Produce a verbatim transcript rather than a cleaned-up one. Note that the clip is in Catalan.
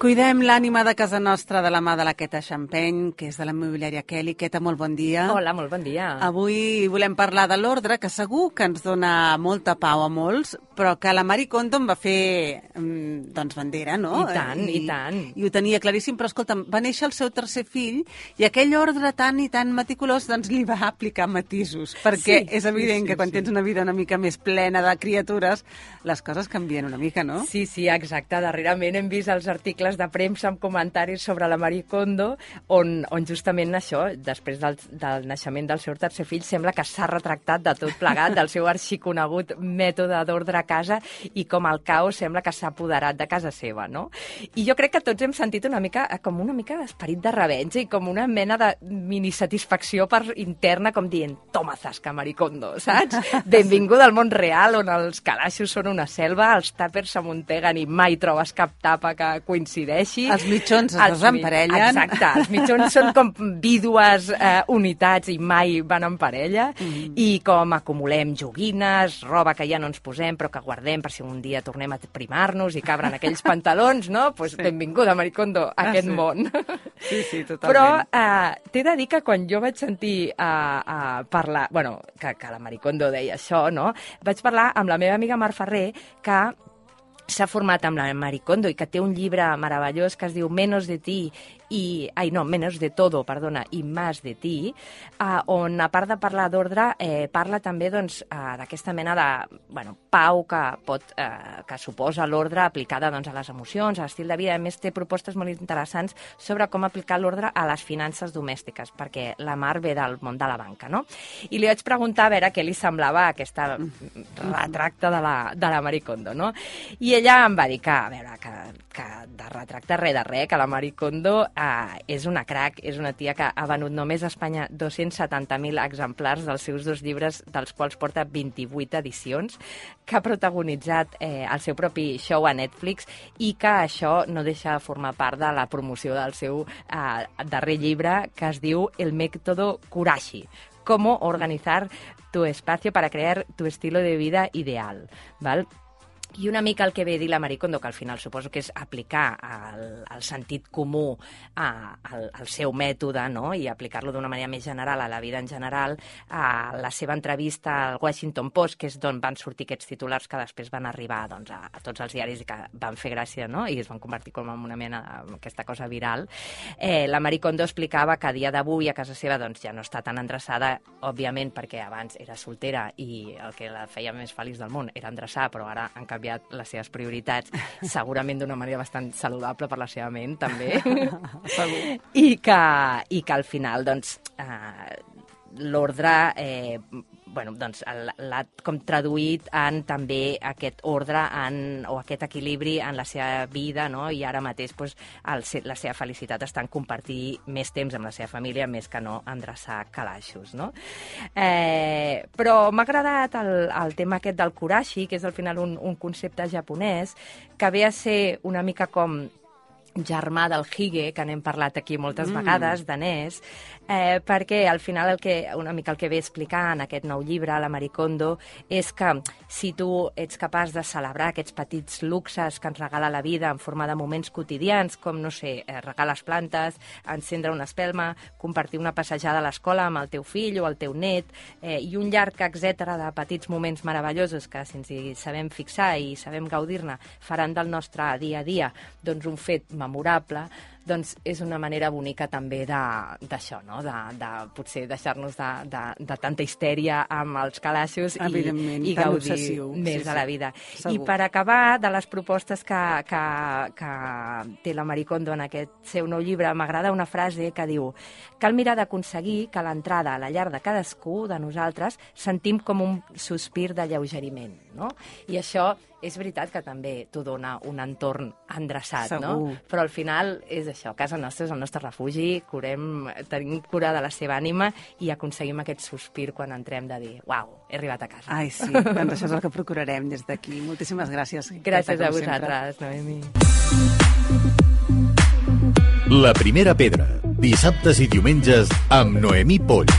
Cuidem l'ànima de casa nostra de la mà de la Queta Champeny, que és de la immobiliària Kelly. Queta, molt bon dia. Hola, molt bon dia. Avui volem parlar de l'ordre, que segur que ens dona molta pau a molts, però que la Marie Kondo en va fer, doncs, bandera, no? I tant, i, i tant. I ho tenia claríssim, però escolta'm, va néixer el seu tercer fill i aquell ordre tan i tan meticulós, doncs, li va aplicar matisos, perquè sí, és evident sí, sí, que quan sí. tens una vida una mica més plena de criatures, les coses canvien una mica, no? Sí, sí, exacte. Darrerament hem vist els articles de premsa amb comentaris sobre la Marie Kondo, on, on justament això, després del, del naixement del seu tercer fill, sembla que s'ha retractat de tot plegat, del seu arxiconegut mètode d'ordre a casa, i com el caos sembla que s'ha apoderat de casa seva, no? I jo crec que tots hem sentit una mica, com una mica d'esperit de revenja i com una mena de mini-satisfacció per interna, com dient, toma zasca, Marie Kondo, saps? Benvinguda al món real, on els calaixos són una selva, els tàpers s'amunteguen i mai trobes cap tapa que coincideixi. Els mitjons es desemparellen. Exacte, els mitjons són com vídues eh, unitats i mai van en parella, mm. i com acumulem joguines, roba que ja no ens posem però que guardem per si un dia tornem a primar-nos i cabren aquells pantalons, no? Pues sí. Benvinguda, Marie Kondo, a ah, aquest sí. món. Sí, sí, totalment. Però eh, t'he de dir que quan jo vaig sentir eh, eh, parlar, bueno, que, que la Marie Kondo deia això, no? Vaig parlar amb la meva amiga Mar Ferrer, que s'ha format amb la Marie Kondo i que té un llibre meravellós que es diu Menos de ti i, ai no, Menos de todo, perdona, i Más de ti, eh, on a part de parlar d'ordre, eh, parla també doncs, eh, d'aquesta mena de bueno, pau que, pot, eh, que suposa l'ordre aplicada doncs, a les emocions, a l'estil de vida. A més, té propostes molt interessants sobre com aplicar l'ordre a les finances domèstiques, perquè la Mar ve del món de la banca, no? I li vaig preguntar a veure què li semblava aquesta retracte de la, de la Marie Kondo, no? I ella em va dir que, a veure, que, que de retracte res de res, que la Marie Kondo Uh, és una crac, és una tia que ha venut només a Espanya dos-cents setanta mil exemplars dels seus dos llibres, dels quals porta vint-i-vuit edicions, que ha protagonitzat eh, el seu propi show a Netflix i que això no deixa de formar part de la promoció del seu uh, darrer llibre, que es diu El método Kurashi, cómo organizar tu espacio para crear tu estilo de vida ideal, ¿vale? I una mica el que ve a dir la Marie Kondo, que al final suposo que és aplicar el, el sentit comú a, al, al seu mètode, no? I aplicar-lo d'una manera més general a la vida en general. A la seva entrevista al Washington Post, que és d'on van sortir aquests titulars que després van arribar doncs, a, a tots els diaris i que van fer gràcia, no? I es van convertir com en una mena aquesta cosa viral. Eh, la Marie Kondo explicava que a dia d'avui a casa seva doncs, ja no està tan endreçada, òbviament perquè abans era soltera i el que la feia més feliç del món era endreçar, però ara en canvi les seves prioritats, segurament d'una manera bastant saludable per la seva ment, també. I que, i que al final, doncs, eh, l'ordre, eh, bueno, doncs, l'ha com traduït en també aquest ordre en, o aquest equilibri en la seva vida, no? I ara mateix doncs, el, la seva felicitat està en compartir més temps amb la seva família, més que no endreçar calaixos, no? Eh, però m'ha agradat el, el tema aquest del Kurashi, que és al final un, un concepte japonès, que ve a ser una mica com germà del hige, que n'hem parlat aquí moltes mm. vegades, danès, eh, perquè al final el que, una mica el que ve a explicar en aquest nou llibre, la Marie Kondo, és que si tu ets capaç de celebrar aquests petits luxes que ens regala la vida en forma de moments quotidians, com, no sé, eh, regar les plantes, encendre una espelma, compartir una passejada a l'escola amb el teu fill o el teu net, eh, i un llarg etcètera de petits moments meravellosos que, si ens hi sabem fixar i sabem gaudir-ne, faran del nostre dia a dia doncs, un fet memorable, doncs és una manera bonica també d'això, no? De, de potser deixar-nos de, de, de tanta histèria amb els calaixos i, i gaudir obsessiu. Més sí, de la vida. Sí, I per acabar, de les propostes que, que, que té la Marie Kondo en aquest seu nou llibre, m'agrada una frase que diu: cal mirar d'aconseguir que a l'entrada a la llar de cadascú de nosaltres sentim com un sospir de lleugeriment, no? I això és veritat que també t'ho dona un entorn endreçat, Segur. No? Però al final és això, casa nostra és el nostre refugi, curem, tenim cura de la seva ànima i aconseguim aquest sospir quan entrem de dir, uau, he arribat a casa. Ai, sí, doncs això és el que procurarem des d'aquí. Moltíssimes gràcies. Gràcies a vosaltres, Noemi. La primera pedra, dissabtes i diumenges amb Noemí Polls.